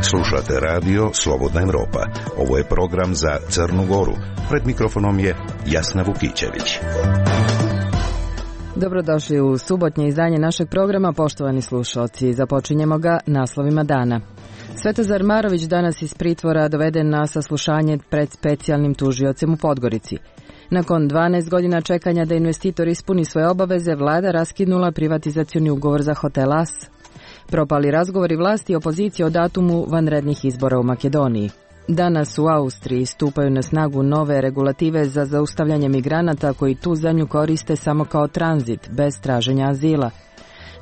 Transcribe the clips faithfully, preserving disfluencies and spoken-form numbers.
Slušate radio Slobodna Evropa. Ovo je program za Crnu Goru. Pred mikrofonom je Jasna Vukićević. Dobrodošli u subotnje izdanje našeg programa, poštovani slušalci. Započinjemo ga naslovima dana. Svetozar Marović danas iz pritvora doveden na saslušanje pred specijalnim tužiocem u Podgorici. Nakon dvanaest godina čekanja da investitor ispuni svoje obaveze, vlada raskinula privatizacioni ugovor za hotel As. Propali razgovori vlasti i opozicije o datumu vanrednih izbora u Makedoniji. Danas u Austriji stupaju na snagu nove regulative za zaustavljanje migranata koji tu zemlju koriste samo kao tranzit, bez traženja azila.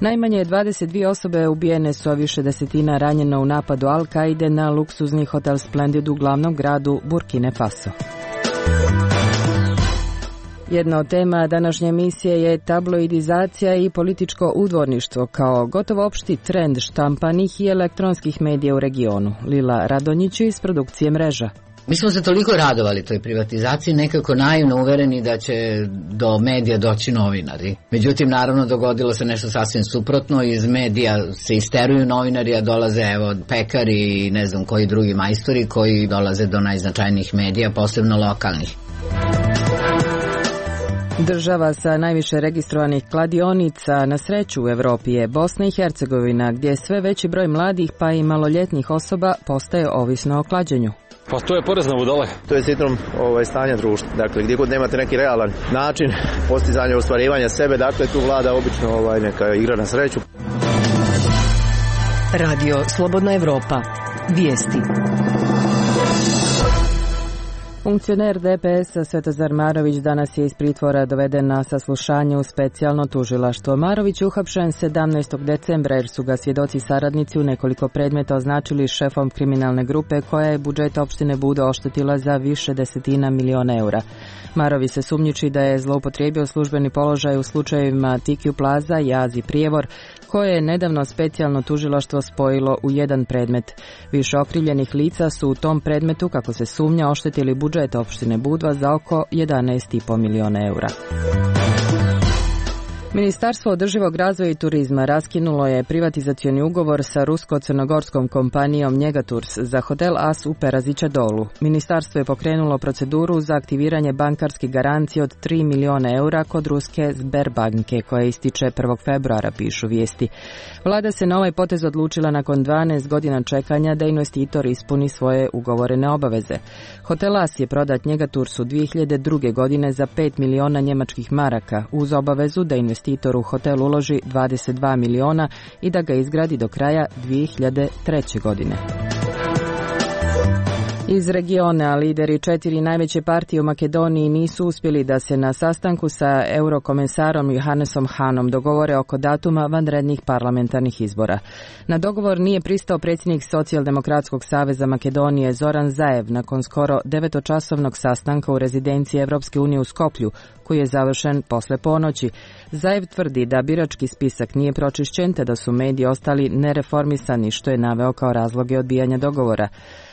Najmanje dvadeset dvije osobe ubijene su, a više desetina ranjeno u napadu Al-Kaide na luksuzni hotel Splendid u glavnom gradu Burkine Faso. Jedna od tema današnje emisije je tabloidizacija i političko udvorništvo kao gotovo opšti trend štampanih i elektronskih medija u regionu. Lila Radonjić iz produkcije Mreža. Mi smo se toliko radovali toj privatizaciji, nekako naivno uvereni da će do medija doći novinari. Međutim, naravno, dogodilo se nešto sasvim suprotno. Iz medija se isteruju novinari, a dolaze evo pekari i ne znam koji drugi majstori koji dolaze do najznačajnijih medija, posebno lokalnih. Država sa najviše registrovanih kladionica na sreću u Evropi je Bosna i Hercegovina, gdje sve veći broj mladih pa i maloljetnih osoba postaje ovisno o klađenju. Pa to je porez na budale. To je sindrom ovaj, stanja društva. Dakle, gdje god nemate neki realan način postizanja ostvarivanja sebe, dakle tu vlada obično ovaj, neka igra na sreću. Radio Slobodna Evropa. Vijesti. Funkcioner D P S-a Svetozar Marović danas je iz pritvora doveden na saslušanje u specijalno tužilaštvo. Marović je uhapšen sedamnaestog decembra jer su ga svjedoci saradnici u nekoliko predmeta označili šefom kriminalne grupe koja je budžet opštine Budo oštetila za više desetina miliona eura. Marović se sumnjiči da je zloupotrijebio službeni položaj u slučajevima Tikiju Plaza i Azi Prijevor, koje je nedavno specijalno tužilaštvo spojilo u jedan predmet. Više okrivljenih lica su u tom predmetu, kako se sumnja, oštetili budžet opštine Budva za oko jedanaest zarez pet miliona eura. Ministarstvo održivog razvoja i turizma raskinulo je privatizacioni ugovor sa rusko-crnogorskom kompanijom Njegatours za hotel As u Perazića Dolu. Ministarstvo je pokrenulo proceduru za aktiviranje bankarskih garancija od tri miliona eura kod ruske Sberbanke, koja ističe prvog februara, pišu vijesti. Vlada se na ovaj potez odlučila nakon dvanaest godina čekanja da investitor ispuni svoje ugovorene obaveze. Hotel As je prodat Njegatoursu dvije hiljade druge. godine za pet miliona njemačkih maraka, uz obavezu da investitor investitor u hotel uloži dvadeset dva miliona i da ga izgradi do kraja dvije hiljade treće. godine. Iz regiona lideri četiri najveće partije u Makedoniji nisu uspjeli da se na sastanku sa eurokomesarom Johannesom Hanom dogovore oko datuma vanrednih parlamentarnih izbora. Na dogovor nije pristao predsjednik Socijaldemokratskog saveza Makedonije Zoran Zaev nakon skoro devetočasovnog sastanka u rezidenciji Evropske unije u Skoplju, koji je završen posle ponoći. Zaev tvrdi da birački spisak nije pročišćen te da su mediji ostali nereformisani, što je naveo kao razloge odbijanja dogovora.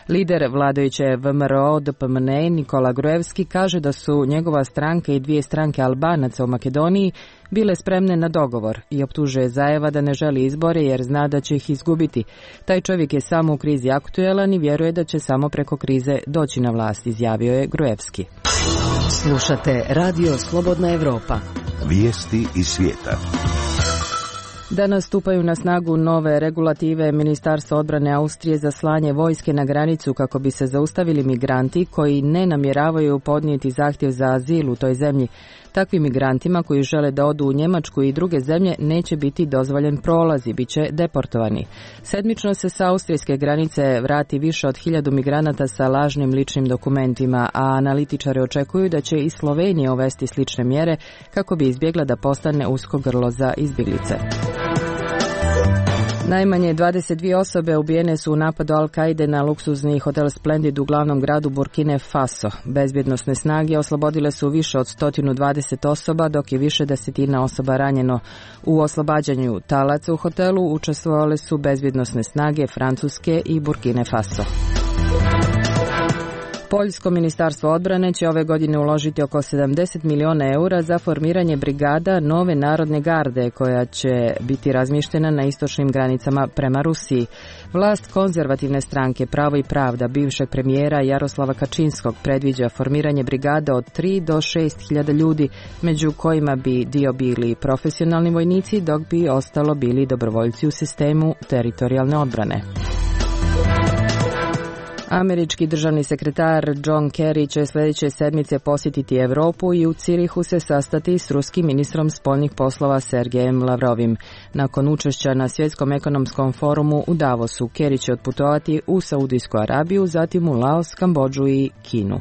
Lider vladajuće V M R O D P M N E Nikola Gruevski kaže da su njegova stranka i dvije stranke Albanaca u Makedoniji bile spremne na dogovor i optužuje Zaeva da ne želi izbore jer zna da će ih izgubiti. Taj čovjek je samo u krizi aktuelan i vjeruje da će samo preko krize doći na vlast, izjavio je Gruevski. Slušate Radio Slobodna Evropa. Vijesti iz svijeta. Danas stupaju na snagu nove regulative Ministarstva odbrane Austrije za slanje vojske na granicu kako bi se zaustavili migranti koji ne namjeravaju podnijeti zahtjev za azil u toj zemlji. Takvim migrantima koji žele da odu u Njemačku i druge zemlje neće biti dozvoljen prolaz i bit će deportovani. Sedmično se sa austrijske granice vrati više od hiljadu migranata sa lažnim ličnim dokumentima, a analitičari očekuju da će i Slovenija uvesti slične mjere kako bi izbjegla da postane usko grlo za izbjeglice. Najmanje dvadeset dvije osobe ubijene su u napadu Al-Kaide na luksuzni hotel Splendid u glavnom gradu Burkine Faso. Bezbjednosne snage oslobodile su više od sto dvadeset osoba, dok je više desetina osoba ranjeno. U oslobađanju talaca u hotelu učestvovale su bezbjednosne snage Francuske i Burkine Faso. Poljsko ministarstvo odbrane će ove godine uložiti oko sedamdeset miliona eura za formiranje brigada nove narodne garde koja će biti razmještena na istočnim granicama prema Rusiji. Vlast konzervativne stranke Pravo i pravda bivšeg premijera Jaroslava Kačinskog predviđa formiranje brigada od tri do šest hiljada ljudi, među kojima bi dio bili profesionalni vojnici, dok bi ostalo bili dobrovoljci u sistemu teritorijalne odbrane. Američki državni sekretar John Kerry će sljedeće sedmice posjetiti Europu i u Cirihu se sastati s ruskim ministrom spoljnih poslova Sergejem Lavrovim. Nakon učešća na Svjetskom ekonomskom forumu u Davosu, Kerry će otputovati u Saudijsku Arabiju, zatim u Laos, Kambodžu i Kinu.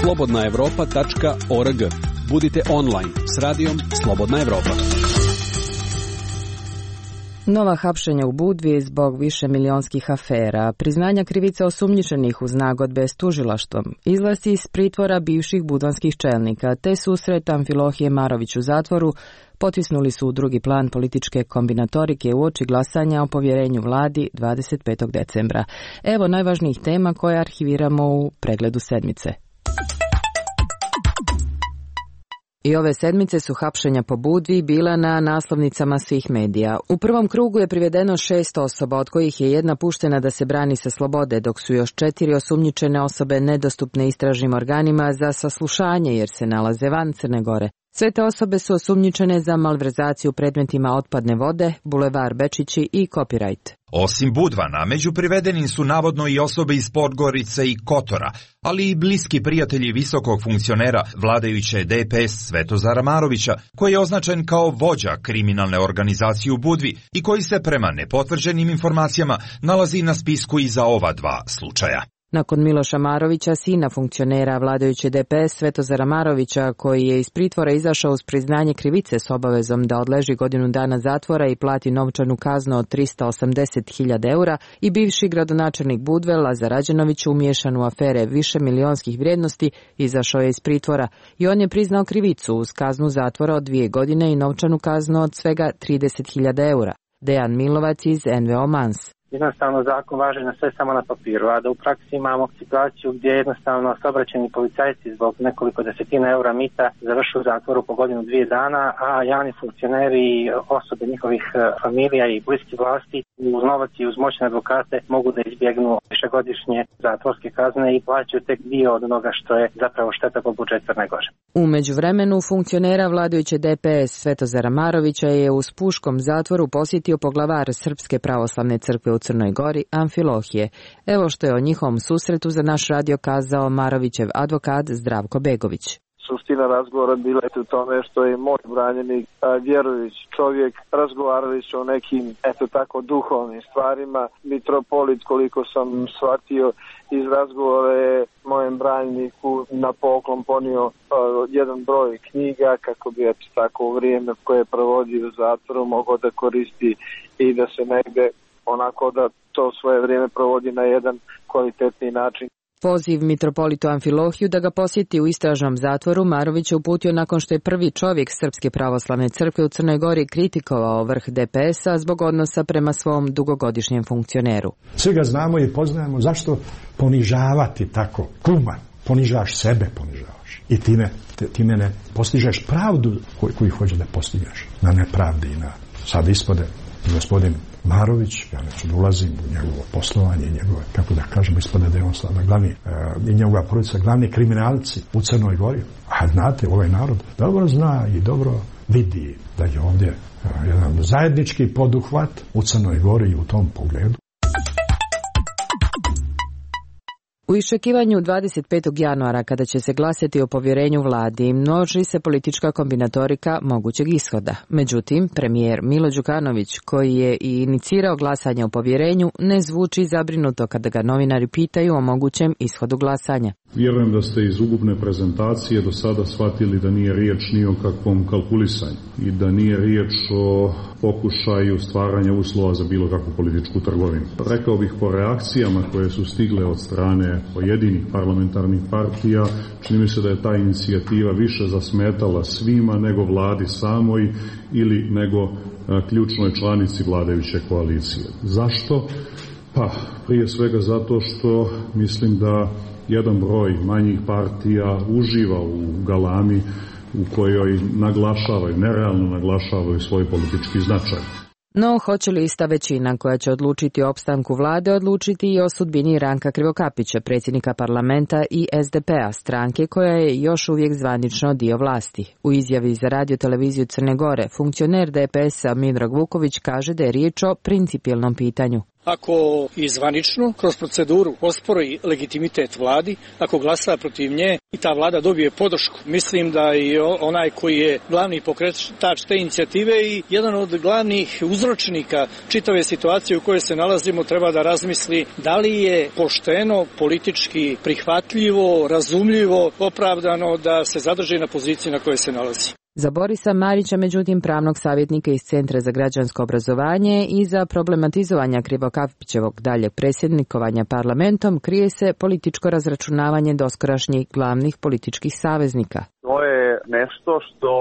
slobodna europa tačka org. Budite online s radijom Slobodna Evropa. Nova hapšenja u Budvi zbog višemilionskih afera, priznanja krivica osumnjičenih uz nagodbe s tužilaštvom, izlasci iz pritvora bivših budvanskih čelnika te susret Amfilohije Marović u zatvoru potisnuli su u drugi plan političke kombinatorike uoči glasanja o povjerenju vladi dvadeset petog decembra. Evo najvažnijih tema koje arhiviramo u pregledu sedmice. I ove sedmice su hapšenja po Budvi bila na naslovnicama svih medija. U prvom krugu je privedeno šest osoba, od kojih je jedna puštena da se brani sa slobode, dok su još četiri osumnjičene osobe nedostupne istražnim organima za saslušanje jer se nalaze van Crne Gore. Sve te osobe su osumnjičene za malverzaciju predmetima otpadne vode, Bulevar Bečići i copyright. Osim Budvana, među privedenim su navodno i osobe iz Podgorice i Kotora, ali i bliski prijatelji visokog funkcionera vladajuće D P S Svetozara Marovića, koji je označen kao vođa kriminalne organizacije u Budvi i koji se prema nepotvrđenim informacijama nalazi na spisku i za ova dva slučaja. Nakon Miloša Marovića, sina funkcionera vladajuće D P S Svetozara Marovića, koji je iz pritvora izašao uz priznanje krivice s obavezom da odleži godinu dana zatvora i plati novčanu kaznu od trista osamdeset hiljada eura, i bivši gradonačelnik Budve Lazar Rađenović, umiješan u afere više milionskih vrijednosti, izašao je iz pritvora i on je priznao krivicu uz kaznu zatvora od dvije godine i novčanu kaznu od svega trideset hiljada eura. Dejan Milovac iz N V O Mans. Jednostavno zakon važi na sve samo na papiru, a da u praksi imamo situaciju gdje jednostavno saobraćajni policajci zbog nekoliko desetina eura mita završuju u zatvoru po godinu dvije dana, a javni funkcioneri i osobe njihovih familija i bliski vlasti uz novac i uz moćne advokate mogu da izbjegnu višegodišnje zatvorske kazne i plaćaju tek dio od onoga što je zapravo šteta po budžetu Crne Gore. U međuvremenu funkcionera vladajuće D P S Svetozara Marovića je u Spuškom zatvoru posjetio poglavar Srpske pravoslavne crkve u Crnoj Gori, Amfilohije. Evo što je o njihovom susretu za naš radio kazao Marovićev advokat Zdravko Begović. Suština razgovora bila je u tome što je moj branjenik vjerujući čovjek, razgovarali su o nekim, eto tako, duhovnim stvarima. Mitropolit, koliko sam shvatio iz razgovora, je mojem branjeniku na poklon ponio uh, jedan broj knjiga kako bi eto tako u vrijeme koje je provodio u zatvoru mogao da koristi i da se negde onako da to svoje vrijeme provodi na jedan kvalitetni način. Poziv mitropolitu Amfilohiju da ga posjeti u istražnom zatvoru Marović je uputio nakon što je prvi čovjek Srpske pravoslavne crkve u Crnoj Gori kritikovao vrh D P S-a zbog odnosa prema svom dugogodišnjem funkcioneru. Svi ga znamo i poznajemo, zašto ponižavati tako kuma? Ponižavaš sebe, ponižavaš. I time, time ne postižeš pravdu koju, koju hoće da postigneš. Na nepravdi i na sad ispode gospodin Marović, ja neću da ulazim u njegovo poslovanje, njegove, kako da kažemo, ispada da je on sada glavni, e, i njegova porodica glavni kriminalci u Crnoj Gori. A znate, ovaj narod dobro zna i dobro vidi da je ovdje e, jedan zajednički poduhvat u Crnoj Gori i u tom pogledu. U iščekivanju dvadeset petog januara, kada će se glasati o povjerenju vladi, množi se politička kombinatorika mogućeg ishoda. Međutim, premijer Milo Đukanović, koji je i inicirao glasanje o povjerenju, ne zvuči zabrinuto kada ga novinari pitaju o mogućem ishodu glasanja. Vjerujem da ste iz ukupne prezentacije do sada shvatili da nije riječ ni o kakvom kalkulisanju i da nije riječ o pokušaju stvaranja uslova za bilo kakvu političku trgovinu. Rekao bih, po reakcijama koje su stigle od strane pojedinih parlamentarnih partija, čini mi se da je ta inicijativa više zasmetala svima nego vladi samoj ili nego ključnoj članici vladajuće koalicije. Zašto? Pa, prije svega zato što mislim da jedan broj manjih partija uživa u galami u kojoj naglašavaju, nerealno naglašavaju svoj politički značaj. No, hoće li ista većina koja će odlučiti o opstanku vlade odlučiti i o sudbini Ranka Krivokapića, predsjednika parlamenta i es de pe a, stranke koja je još uvijek zvanično dio vlasti? U izjavi za radio televiziju Crne Gore, funkcioner de pe es-a Miodrag Vuković kaže da je riječ o principijelnom pitanju. Ako i zvanično kroz proceduru ospori legitimitet vladi, ako glasa protiv nje i ta vlada dobije podršku, mislim da i onaj koji je glavni pokretač te inicijative i jedan od glavnih uzročnika čitave situacije u kojoj se nalazimo treba da razmisli da li je pošteno, politički prihvatljivo, razumljivo, opravdano da se zadrži na poziciji na kojoj se nalazi. Za Borisa Marića, međutim, pravnog savjetnika iz Centra za građansko obrazovanje i za problematizovanja Krivokapićevog daljeg predsjednikovanja parlamentom, krije se političko razračunavanje doskorašnjih glavnih političkih saveznika. To je nešto što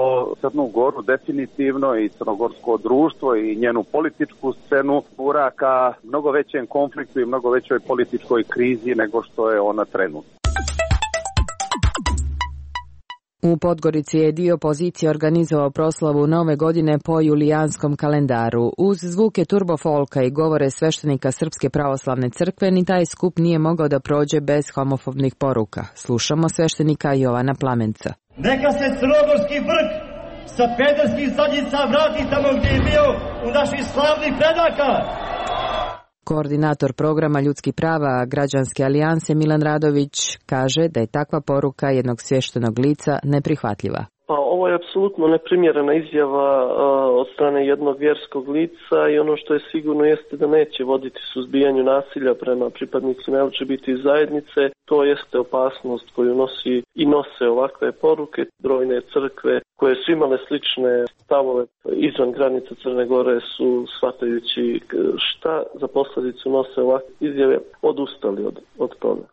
Crnu Goru definitivno i crnogorsko društvo i njenu političku scenu gura ka mnogo većem konfliktu i mnogo većoj političkoj krizi nego što je ona trenutno. U Podgorici je dio opozicije organizovao proslavu Nove godine po julijanskom kalendaru. Uz zvuke turbofolka i govore sveštenika Srpske pravoslavne crkve, ni taj skup nije mogao da prođe bez homofobnih poruka. Slušamo sveštenika Jovana Plamenca. Neka se crnogorski vrh sa pederskih zadnjica vrati tamo gdje je bio u naših slavnih predaka. Koordinator programa ljudskih prava Građanske alijanse Milan Radović kaže da je takva poruka jednog svještenog lica neprihvatljiva. Pa ovo je apsolutno neprimjerena izjava a, od strane jednog vjerskog lica i ono što je sigurno jeste da neće voditi suzbijanju nasilja prema pripadnicima el ge be te zajednice. To jeste opasnost koju nosi i nose ovakve poruke. Brojne crkve koje su imale slične stavove izvan granica Crne Gore su, shvatajući šta za posljedicu nose ovakve izjave, odustali od, od toga.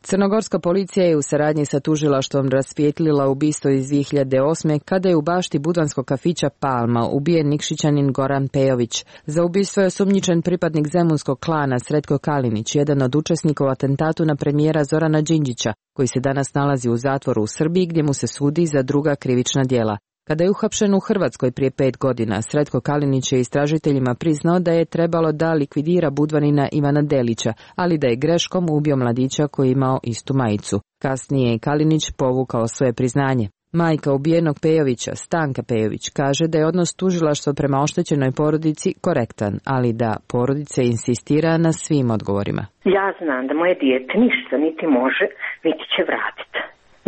Crnogorska policija je u saradnji sa tužilaštvom rasvijetlila ubistvo iz dvije hiljade osme. kada je u bašti budvanskog kafića Palma ubijen Nikšićanin Goran Pejović. Za ubistvo je osumnjičen pripadnik zemunskog klana Sretko Kalinić, jedan od učesnika u atentatu na premijera Zorana Đinđića, koji se danas nalazi u zatvoru u Srbiji gdje mu se sudi za druga krivična djela. Kada je uhapšen u Hrvatskoj prije pet godina, Sretko Kalinić je istražiteljima priznao da je trebalo da likvidira budvanina Ivana Delića, ali da je greškom ubio mladića koji je imao istu majicu. Kasnije je Kalinić povukao svoje priznanje. Majka ubijenog Pejovića, Stanka Pejović, kaže da je odnos tužilaštva prema oštećenoj porodici korektan, ali da porodica insistira na svim odgovorima. Ja znam da moje dijete ništa niti može, niti će vratiti.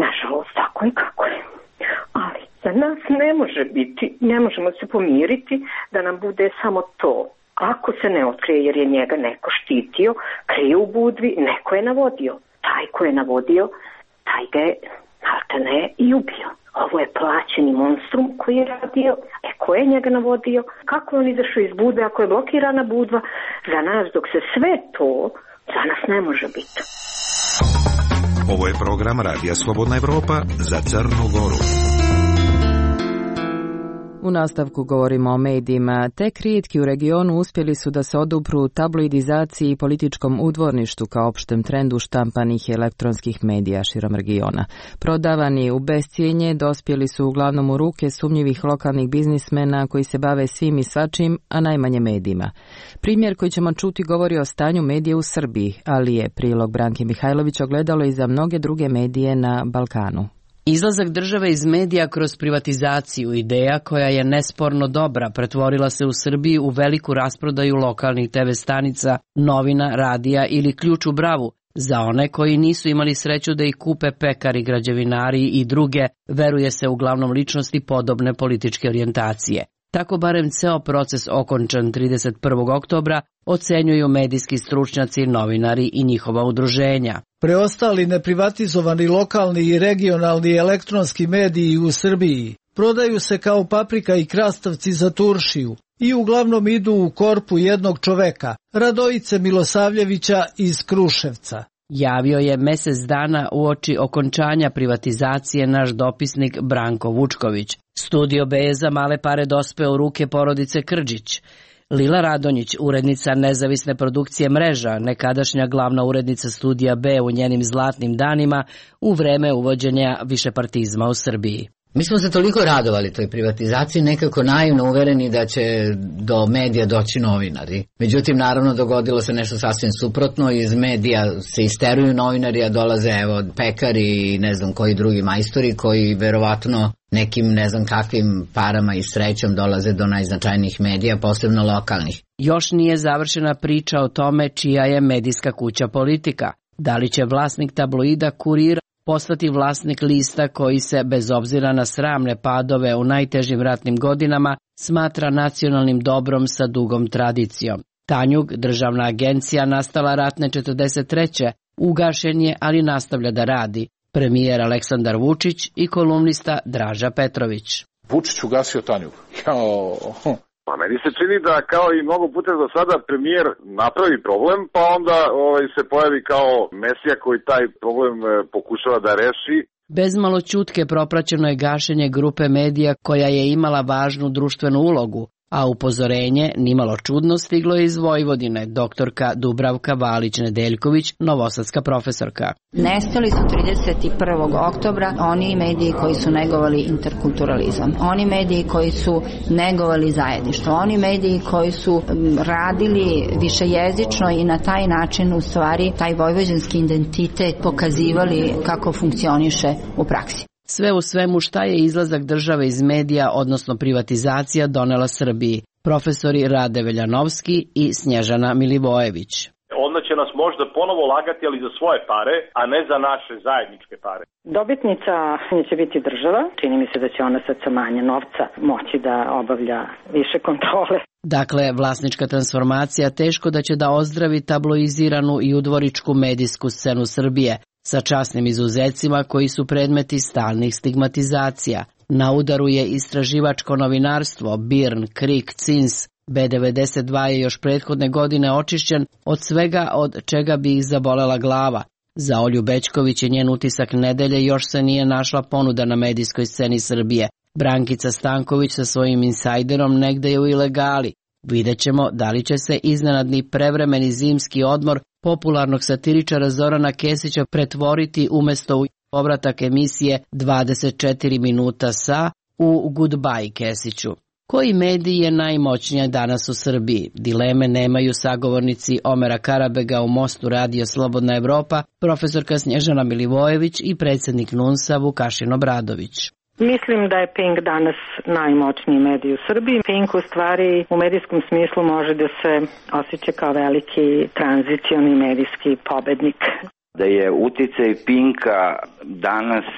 Nažalost, tako je kako je. Ali za nas ne može biti, ne možemo se pomiriti da nam bude samo to. Ako se ne otkrije jer je njega neko štitio, krije u budvi, neko je navodio. Taj ko je navodio, taj ga je maltene i ubio. Ovo je plaćeni monstrum koji je radio. E, ko je njega navodio? Kako je on izašao iz budve ako je blokirana budva? Za nas dok se sve to, za nas ne može biti. Ovo je program Radija Slobodna Evropa za Crnu Goru. U nastavku govorimo o medijima. Tek rijetki u regionu uspjeli su da se odupru tabloidizaciji i političkom udvorništu kao opštem trendu štampanih elektronskih medija širom regiona. Prodavani u bescijenje dospjeli su uglavnom u ruke sumnjivih lokalnih biznismena koji se bave svim i svačim, a najmanje medijima. Primjer koji ćemo čuti govori o stanju medija u Srbiji, ali je prilog Branke Mihajlović ogledalo i za mnoge druge medije na Balkanu. Izlazak države iz medija kroz privatizaciju, ideja koja je nesporno dobra, pretvorila se u Srbiji u veliku rasprodaju lokalnih te ve stanica, novina, radija ili ključ u bravu. Za one koji nisu imali sreću da ih kupe pekari, građevinari i druge, veruje se uglavnom ličnosti podobne političke orijentacije. Tako barem ceo proces okončan trideset prvog oktobra ocenjuju medijski stručnjaci, novinari i njihova udruženja. Preostali neprivatizovani lokalni i regionalni elektronski mediji u Srbiji prodaju se kao paprika i krastavci za turšiju i uglavnom idu u korpu jednog čoveka, Radojice Milosavljevića iz Kruševca. Javio je mjesec dana uoči okončanja privatizacije naš dopisnik Branko Vučković. Studio be za male pare dospeo u ruke porodice Krđić. Lila Radonjić, urednica nezavisne produkcije Mreža, nekadašnja glavna urednica Studija B u njenim zlatnim danima u vreme uvođenja višepartizma u Srbiji. Mi smo se toliko radovali toj privatizaciji, nekako naivno uvereni da će do medija doći novinari. Međutim, naravno, dogodilo se nešto sasvim suprotno. Iz medija se isteruju novinari, a dolaze evo pekari i ne znam koji drugi majstori koji verovatno nekim ne znam kakvim parama i srećom dolaze do najznačajnijih medija, posebno lokalnih. Još nije završena priča o tome čija je medijska kuća Politika. Da li će vlasnik tabloida Kurir postati vlasnik lista koji se, bez obzira na sramne padove u najtežim ratnim godinama, smatra nacionalnim dobrom sa dugom tradicijom. Tanjug, državna agencija nastala ratne četrdeset treće ugašen je, ali nastavlja da radi. Premijer Aleksandar Vučić i kolumnista Draža Petrović. Vučić ugasio Tanjug. Jao... Pa meni se čini da kao i mnogo puta do sada premijer napravi problem, pa onda ovaj, se pojavi kao mesija koji taj problem e, pokušava da reši. Bezmalo ćutke propraćeno je gašenje grupe medija koja je imala važnu društvenu ulogu, a upozorenje, nimalo čudno, stiglo je iz Vojvodine, doktorka Dubravka Valić-Nedeljković, novosadska profesorka. Nestali su trideset prvog oktobra oni mediji koji su negovali interkulturalizam, oni mediji koji su negovali zajedništvo, oni mediji koji su radili višejezično i na taj način u stvari taj vojvođanski identitet pokazivali kako funkcioniše u praksi. Sve u svemu, šta je izlazak države iz medija, odnosno privatizacija, donela Srbiji? Profesori Rade Veljanovski i Snježana Milivojević. Onda će nas možda ponovo lagati, ali za svoje pare, a ne za naše zajedničke pare. Dobitnica će biti država. Čini mi se da će ona sad sa manje novca moći da obavlja više kontrole. Dakle, vlasnička transformacija teško da će da ozdravi tabloiziranu i udvoričku medijsku scenu Srbije, sa časnim izuzecima koji su predmeti stalnih stigmatizacija. Na udaru je istraživačko novinarstvo, Birn, Krik, Cins. B devedeset dva je još prethodne godine očišćen od svega od čega bi ih zabolela glava. Za Olju Bećković i njen utisak nedelje još se nije našla ponuda na medijskoj sceni Srbije. Brankica Stanković sa svojim insajderom negde je u ilegali. Vidjet ćemo da li će se iznenadni prevremeni zimski odmor popularnog satiričara Zorana Kesića pretvoriti umesto u povratak emisije dvadeset četiri minuta sa u Goodbye Kesiću. Koji medij je najmoćniji danas u Srbiji? Dileme nemaju sagovornici Omera Karabega u Mostu Radio Slobodna Evropa, profesorka Snježana Milivojević i predsjednik NUNS-a Vukašin Obradović. Mislim da je Pink danas najmoćniji medij u Srbiji. Pink u stvari u medijskom smislu može da se osjeća kao veliki tranzicioni medijski pobednik. Da je uticaj Pinka danas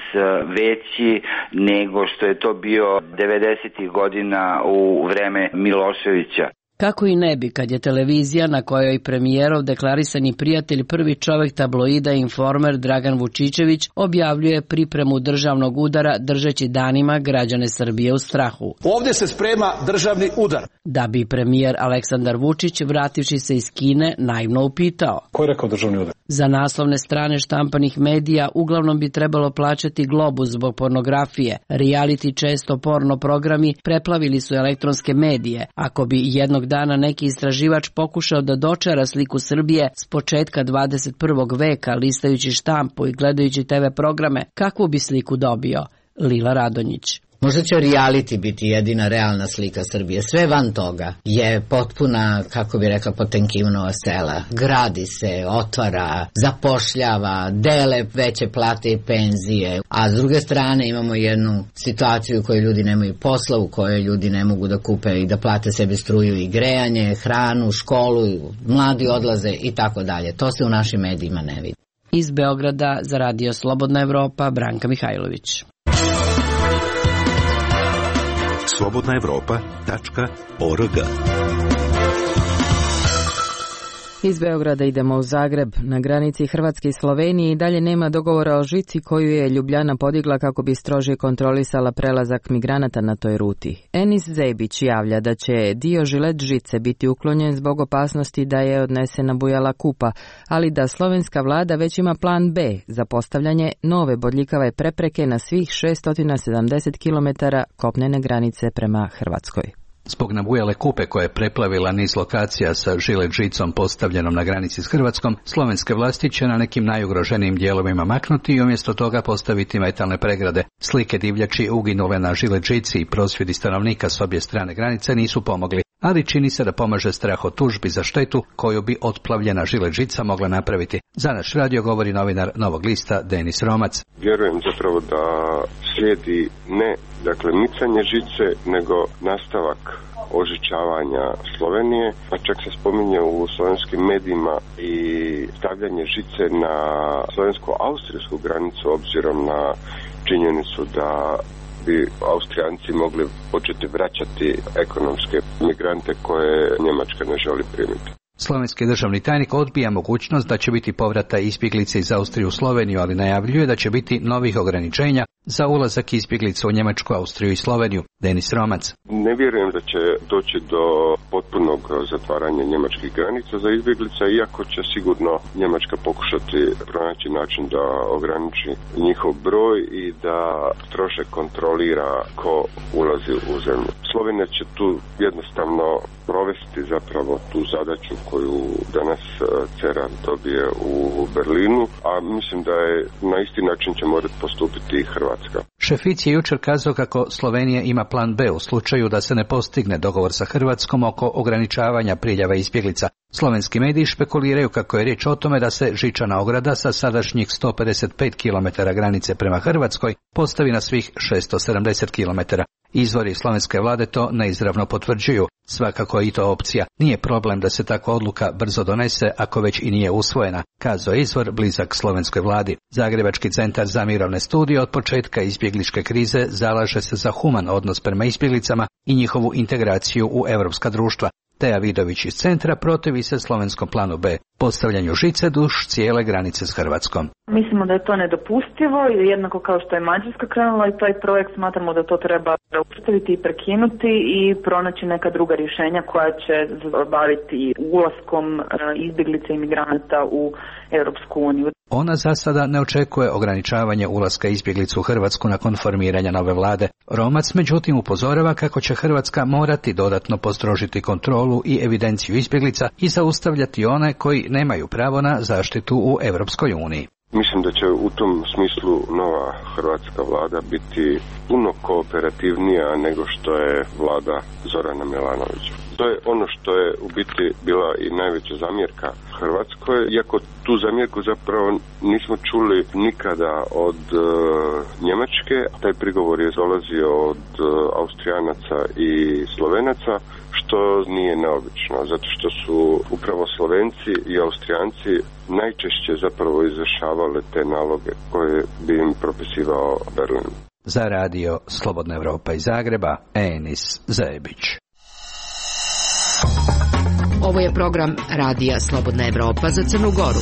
veći nego što je to bio devedesetih godina u vreme Miloševića. Kako i ne bi, kad je televizija na kojoj premijerov deklarisani prijatelj, prvi čovek tabloida Informer Dragan Vučićević objavljuje pripremu državnog udara držeći danima građane Srbije u strahu. Ovdje se sprema državni udar. Da bi premijer Aleksandar Vučić, vrativši se iz Kine, naivno upitao. Ko je rekao državni udar? Za naslovne strane štampanih medija uglavnom bi trebalo plaćati Globus zbog pornografije. Reality, često porno programi, preplavili su elektronske medije. Ako bi jednog dana neki istraživač pokušao da dočara sliku Srbije s početka dvadeset prvog veka, listajući štampu i gledajući te ve programe, kakvu bi sliku dobio? Lila Radonjić. Možda će reality biti jedina realna slika Srbije. Sve van toga je potpuna, kako bi rekla, Potemkinova sela. Gradi se, otvara, zapošljava, dele veće plate i penzije. A s druge strane imamo jednu situaciju u kojoj ljudi nemaju posla, u kojoj ljudi ne mogu da kupe i da plate sebi struju i grejanje, hranu, školu, mladi odlaze i tako dalje. To se u našim medijima ne vidi. Iz Beograda za Radio Slobodna Evropa, Branka Mihajlović. slobodna evropa tačka org. Iz Beograda idemo u Zagreb. Na granici Hrvatske i Slovenije i dalje nema dogovora o žici koju je Ljubljana podigla kako bi strože kontrolisala prelazak migranata na toj ruti. Enis Zebić javlja da će dio žilet žice biti uklonjen zbog opasnosti da je odnesena bujala kupa, ali da slovenska vlada već ima plan B za postavljanje nove bodljikave prepreke na svih šesto sedamdeset kilometara kopnene granice prema Hrvatskoj. Zbog nabujale kupe koja je preplavila niz lokacija sa žilet žicom postavljenom na granici s Hrvatskom, slovenske vlasti će na nekim najugroženijim dijelovima maknuti i umjesto toga postaviti metalne pregrade. Slike divljači uginule na žilet žici i prosvjedi stanovnika s obje strane granice nisu pomogli, ali čini se da pomaže strah od tužbi za štetu koju bi otplavljena žilet žica mogla napraviti. Za naš radio govori novinar Novog lista Denis Romac. Vjerujem zapravo da slijedi ne dakle micanje žice, nego nastavak ožičavanja Slovenije, pa čak se spominje u slovenskim medijima i stavljanje žice na slovensko-austrijsku granicu obzirom na činjenicu da bi Austrijanci mogli početi vraćati ekonomske migrante koje Njemačka ne želi primiti. Slovenski državni tajnik odbija mogućnost da će biti povrata izbjeglice iz Austrije u Sloveniju, ali najavljuje da će biti novih ograničenja za ulazak izbjeglica u Njemačku, Austriju i Sloveniju. Denis Romac. Ne vjerujem da će doći do potpunog zatvaranja njemačkih granica za izbjeglice, iako će sigurno Njemačka pokušati pronaći način da ograniči njihov broj i da strože kontrolira ko ulazi u zemlju. Slovenija će tu jednostavno provesti zapravo tu zadaću koju danas Cerar dobije u Berlinu, a mislim da je na isti način će morati postupiti i Hrvatska. Šefic je jučer kazao kako Slovenija ima plan B u slučaju da se ne postigne dogovor sa Hrvatskom oko ograničavanja priljeva izbjeglica. Slovenski mediji špekuliraju kako je riječ o tome da se žičana ograda sa sadašnjih sto pedeset pet kilometara granice prema Hrvatskoj postavi na svih šesto sedamdeset kilometara. Izvori slovenske vlade to neizravno potvrđuju. Svakako je i to opcija. Nije problem da se takva odluka brzo donese ako već i nije usvojena, kazao je izvor blizak slovenskoj vladi. Zagrebački centar za mirovne studije od početka izbjegličke krize zalaže se za human odnos prema izbjeglicama i njihovu integraciju u europska društva. Teja Vidović iz centra protivi se slovenskom planu B, postavljanju žice duž cijele granice s Hrvatskom. Mislimo da je to nedopustivo i jednako kao što je Mađarska krenula i taj projekt, smatramo da to treba zaustaviti i prekinuti i pronaći neka druga rješenja koja će baviti ulaskom izbjeglica i migranata u Europsku uniju. Ona za sada ne očekuje ograničavanje ulaska izbjeglica u Hrvatsku nakon formiranja nove vlade. Romac međutim upozorava kako će Hrvatska morati dodatno postrožiti kontrolu i evidenciju izbjeglica i zaustavljati one koji nemaju pravo na zaštitu u Europskoj uniji. Mislim da će u tom smislu nova hrvatska vlada biti puno kooperativnija nego što je vlada Zorana Milanovića. To je ono što je u biti bila i najveća zamjerka Hrvatskoj, iako tu zamjerku zapravo nismo čuli nikada od e, Njemačke. Taj prigovor je dolazio od e, Austrijanaca i Slovenaca, što nije neobično, zato što su upravo Slovenci i Austrijanci najčešće zapravo izvršavale te naloge koje bi im propisivao Berlin. Za radio Slobodna Evropa iz Zagreba, Enis Zebić. Ovo je program Radija Slobodna Evropa za Crnu Goru.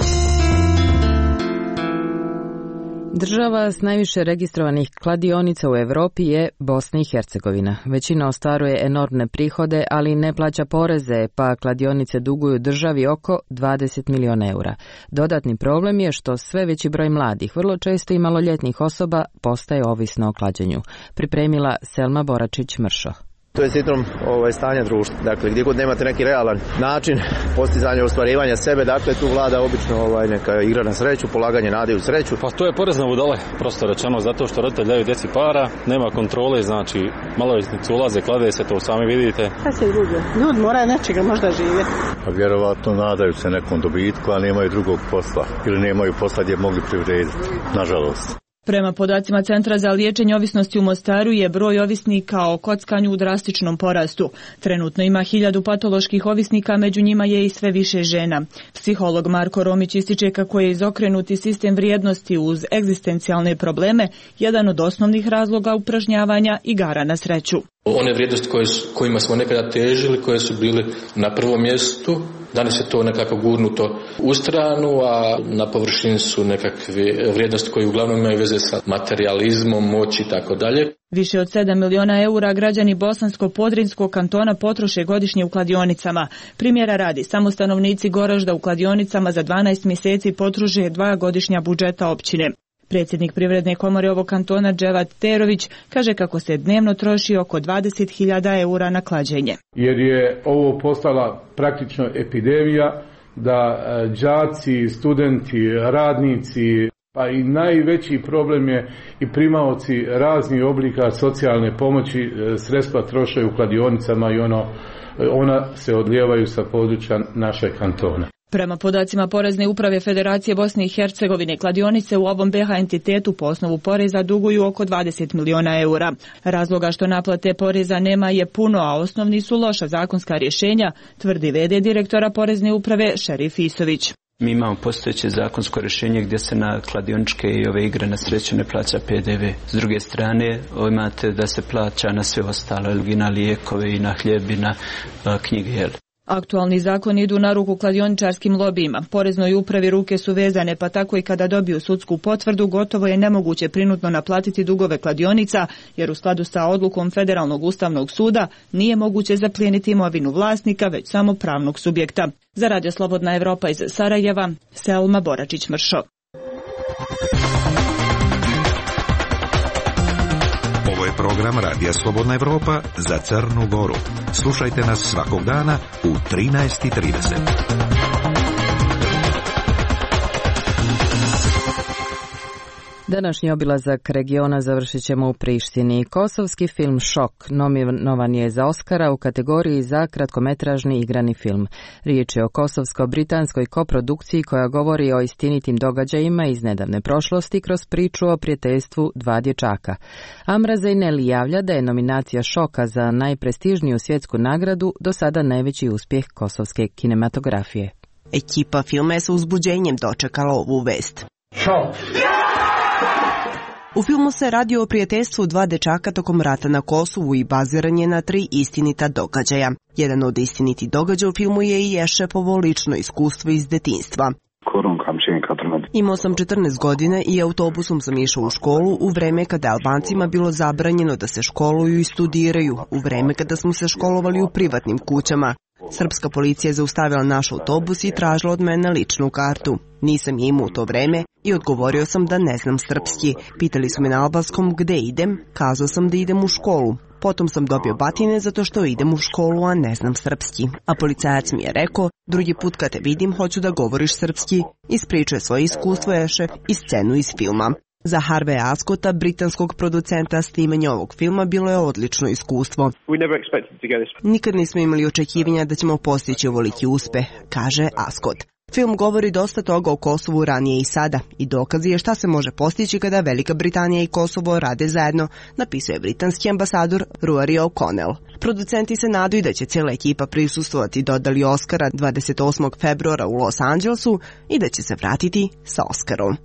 Država s najviše registrovanih kladionica u Europi je Bosna i Hercegovina. Većina ostvaruje enormne prihode, ali ne plaća poreze, pa kladionice duguju državi oko dvadeset miliona eura. Dodatni problem je što sve veći broj mladih, vrlo često i maloljetnih osoba, postaje ovisno o klađenju. Pripremila Selma Boračić-Mršo. To je sindrom ovaj, stanja društva. Dakle, gdje god nemate neki realan način postizanja ostvarivanja sebe, dakle, tu vlada obično ovaj, neka igra na sreću, polaganje nade u sreću. Pa to je porezna budale, prosto rečeno, zato što roditelji daju djeci para, nema kontrole, znači maloljetnici ulaze, klade se, to sami vidite. Šta se ljudi? Ljudi moraju nečega možda živjeti. Pa vjerovatno nadaju se nekom dobitku, a nemaju drugog posla ili nemaju posla gdje mogli privrediti, nažalost. Prema podacima Centra za liječenje ovisnosti u Mostaru je broj ovisnika o kockanju u drastičnom porastu. Trenutno ima hiljadu patoloških ovisnika, među njima je i sve više žena. Psiholog Marko Romić ističe kako je izokrenuti sistem vrijednosti uz egzistencijalne probleme jedan od osnovnih razloga upražnjavanja igara na sreću. One vrijednosti koje, kojima smo nekada težili, koje su bili na prvom mjestu, danas je to nekako gurnuto u stranu, a na površini su nekakve vrijednosti koje uglavnom imaju veze sa materializmom, moći i tako dalje. Više od sedam miliona eura građani Bosansko-Podrinjskog kantona potroše godišnje u kladionicama. Primjera radi, samo stanovnici Goražda u kladionicama za dvanaest mjeseci potroše dva godišnja budžeta općine. Predsjednik Privredne komore ovog kantona Dževat Terović kaže kako se dnevno troši oko dvadeset hiljada eura na klađenje. Jer je ovo postala praktično epidemija da đaci, studenti, radnici, pa i najveći problem je i primaoci raznih oblika socijalne pomoći sredstva troše u kladionicama i ono, ona se odlijevaju sa područja našeg kantona. Prema podacima Porezne uprave Federacije Bosne i Hercegovine, kladionice u ovom B H entitetu po osnovu poreza duguju oko dvadeset miliona eura. Razloga što naplate poreza nema je puno, a osnovni su loša zakonska rješenja, tvrdi ve de direktora Porezne uprave Šerif Isović. Mi imamo postojeće zakonsko rješenje gdje se na kladioničke i ove igre na sreću ne plaća pe de ve. S druge strane, imate da se plaća na sve ostalo, i na lijekove, i na hljeb, i na knjige. Aktualni zakoni idu na ruku kladioničarskim lobijima. Poreznoj upravi ruke su vezane, pa tako i kada dobiju sudsku potvrdu, gotovo je nemoguće prinudno naplatiti dugove kladionica, jer u skladu sa odlukom Federalnog ustavnog suda nije moguće zaplijeniti imovinu vlasnika, već samo pravnog subjekta. Za Radio Slobodna Evropa iz Sarajeva, Selma Boračić-Mršo. Ovo je program Radija Slobodna Evropa za Crnu Goru. Slušajte nas svakog dana u trinaest i trideset. Današnji obilazak regiona završit ćemo u Prištini. Kosovski film Šok nominovan je za Oskara u kategoriji za kratkometražni igrani film. Riječ je o kosovsko-britanskoj koprodukciji koja govori o istinitim događajima iz nedavne prošlosti kroz priču o prijateljstvu dva dječaka. Amra Zeyneli javlja da je nominacija Šoka za najprestižniju svjetsku nagradu do sada najveći uspjeh kosovske kinematografije. Ekipa filma je sa uzbuđenjem dočekala ovu vest. Šok! U filmu se radi o prijateljstvu dva dečaka tokom rata na Kosovu i baziran je na tri istinita događaja. Jedan od istinitih događaja u filmu je i Ešefovo lično iskustvo iz detinjstva. Imao sam četrnaest godina i autobusom sam išao u školu u vreme kada je Albancima bilo zabranjeno da se školuju i studiraju, u vreme kada smo se školovali u privatnim kućama. Srpska policija je zaustavila naš autobus i tražila od mene ličnu kartu. Nisam je imao u to vreme i odgovorio sam da ne znam srpski. Pitali su me na albanskom gde idem, kazao sam da idem u školu. Potom sam dobio batine zato što idem u školu, a ne znam srpski. A policajac mi je rekao, drugi put kad te vidim hoću da govoriš srpski. Ispričao je svoje iskustvo Ešef i scenu iz filma. Za Harveya Ascota, britanskog producenta, snimanje ovog filma bilo je odlično iskustvo. Nikad nismo imali očekivanja da ćemo postići ovoliki uspeh, kaže Ascot. Film govori dosta toga o Kosovu ranije i sada i dokazi je šta se može postići kada Velika Britanija i Kosovo rade zajedno, napisao je britanski ambasador Rory O'Connell. Producenti se nadaju da će cijela ekipa prisustvovati dodali Oscara dvadeset osmog februara u Los Angelesu i da će se vratiti sa Oskarom.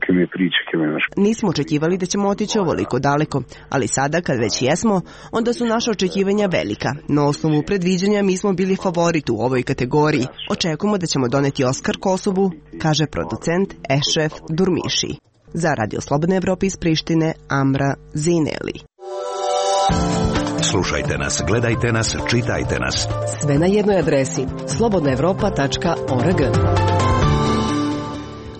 Nismo očekivali da ćemo otići ovoliko daleko, ali sada kad već jesmo, onda su naša očekivanja velika. Na osnovu predviđanja mi smo bili favorit u ovoj kategoriji. Očekujemo da ćemo doneti Oskar Kosovu, kaže producent Ešef Durmiši. Za Radio Slobodne Evrope iz Prištine, Amra Zeyneli. Slušajte nas, gledajte nas, čitajte nas. Sve na jednoj adresi slobodna evropa tačka org.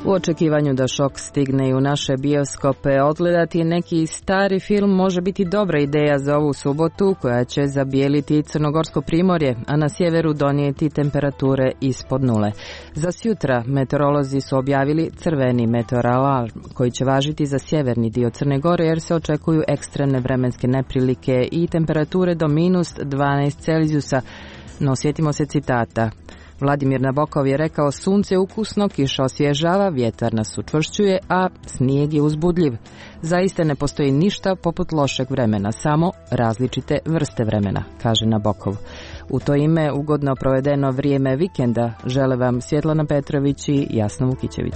U očekivanju da Šok stigne i u naše bioskope, odgledati neki stari film može biti dobra ideja za ovu subotu koja će zabijeliti crnogorsko primorje, a na sjeveru donijeti temperature ispod nule. Za sjutra meteorolozi su objavili crveni meteoralarm koji će važiti za sjeverni dio Crne Gore jer se očekuju ekstremne vremenske neprilike i temperature do minus dvanaest Celzijusa. No sjetimo se citata. Vladimir Nabokov je rekao, sunce je ukusno, kiša osvježava, vjetar nas učvršćuje, a snijeg je uzbudljiv. Zaista ne postoji ništa poput lošeg vremena, samo različite vrste vremena, kaže Nabokov. U to ime ugodno provedeno vrijeme vikenda žele vam Svjetlana Petrović i Jasna Vukićević.